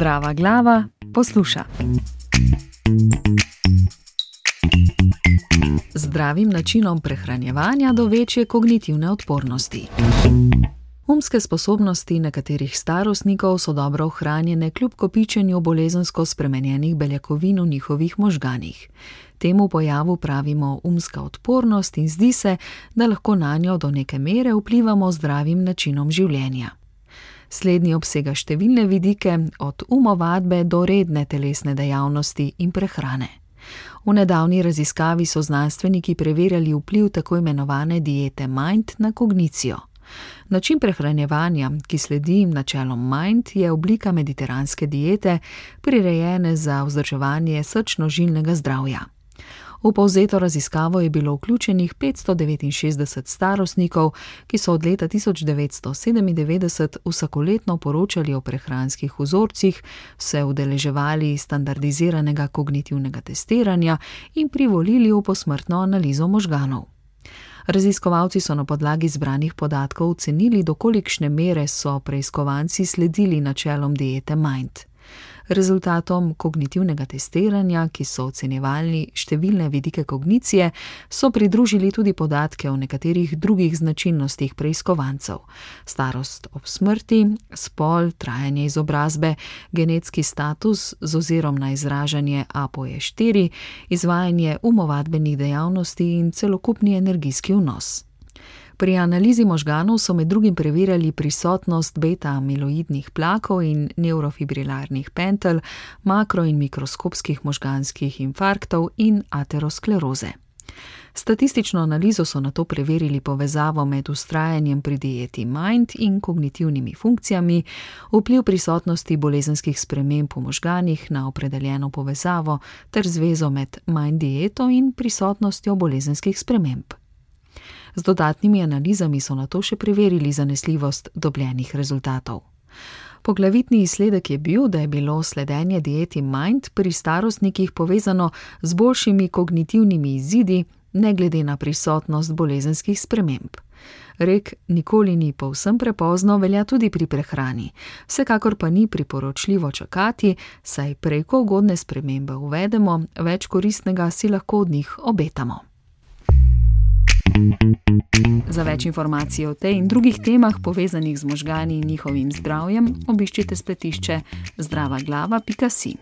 Zdrava glava posluša. Zdravim načinom prehranjevanja do večje kognitivne odpornosti. Umske sposobnosti nekaterih starostnikov so dobro ohranjene kljub kopičenju bolezensko spremenjenih beljakovin v njihovih možganih. Temu pojavu pravimo umska odpornost in zdi se, da lahko nanjo do neke mere vplivamo zdravim načinom življenja. Slednji obsega številne vidike, od umovadbe do redne telesne dejavnosti in prehrane. V nedavni raziskavi so znanstveniki preverjali vpliv tako imenovane diete MIND na kognicijo. Način prehranjevanja, ki sledi načelom MIND, je oblika mediteranske diete, prirejene za vzdrževanje srčno-žilnega zdravja. V povzeto raziskavo je bilo vključenih 569 starostnikov, ki so od leta 1997 vsakoletno poročali o prehranskih vzorcih, se udeleževali standardiziranega kognitivnega testiranja in privolili v posmrtno analizo možganov. Raziskovalci so na podlagi zbranih podatkov ocenili, do kolikšne mere so preiskovanci sledili načelom diete MIND. Rezultatom kognitivnega testiranja, ki so ocenjevali številne vidike kognicije, so pridružili tudi podatke o nekaterih drugih značilnostih preiskovancev: starost ob smrti, spol, trajanje izobrazbe, genetski status z ozirom na izražanje APOE4, izvajanje umovadbenih dejavnosti in celokupni energijski vnos. Pri analizi možganov so med drugim preverjali prisotnost beta-amiloidnih plakov in nevrofibrilarnih pentel, makro- in mikroskopskih možganskih infarktov in ateroskleroze. Statistično analizo so nato preverili povezavo med vztrajanjem pri dieti MIND in kognitivnimi funkcijami, vpliv prisotnosti bolezenskih sprememb v možganih na opredeljeno povezavo ter zvezo med MIND dieto in prisotnostjo bolezenskih sprememb. Z dodatnimi analizami so nato še preverili zanesljivost dobljenih rezultatov. Poglavitni izsledek je bil, da je bilo sledenje dieti MIND pri starostnikih povezano z boljšimi kognitivnimi izidi, ne glede na prisotnost bolezenskih sprememb. Rek nikoli ni povsem prepozno velja tudi pri prehrani, vsekakor pa ni priporočljivo čakati, saj prej ko ugodne spremembe uvedemo, več koristnega si lahko od njih obetamo. Za več informacij o tej in drugih temah povezanih z možgani in njihovim zdravjem, obiščite spletišče zdravaglava.si.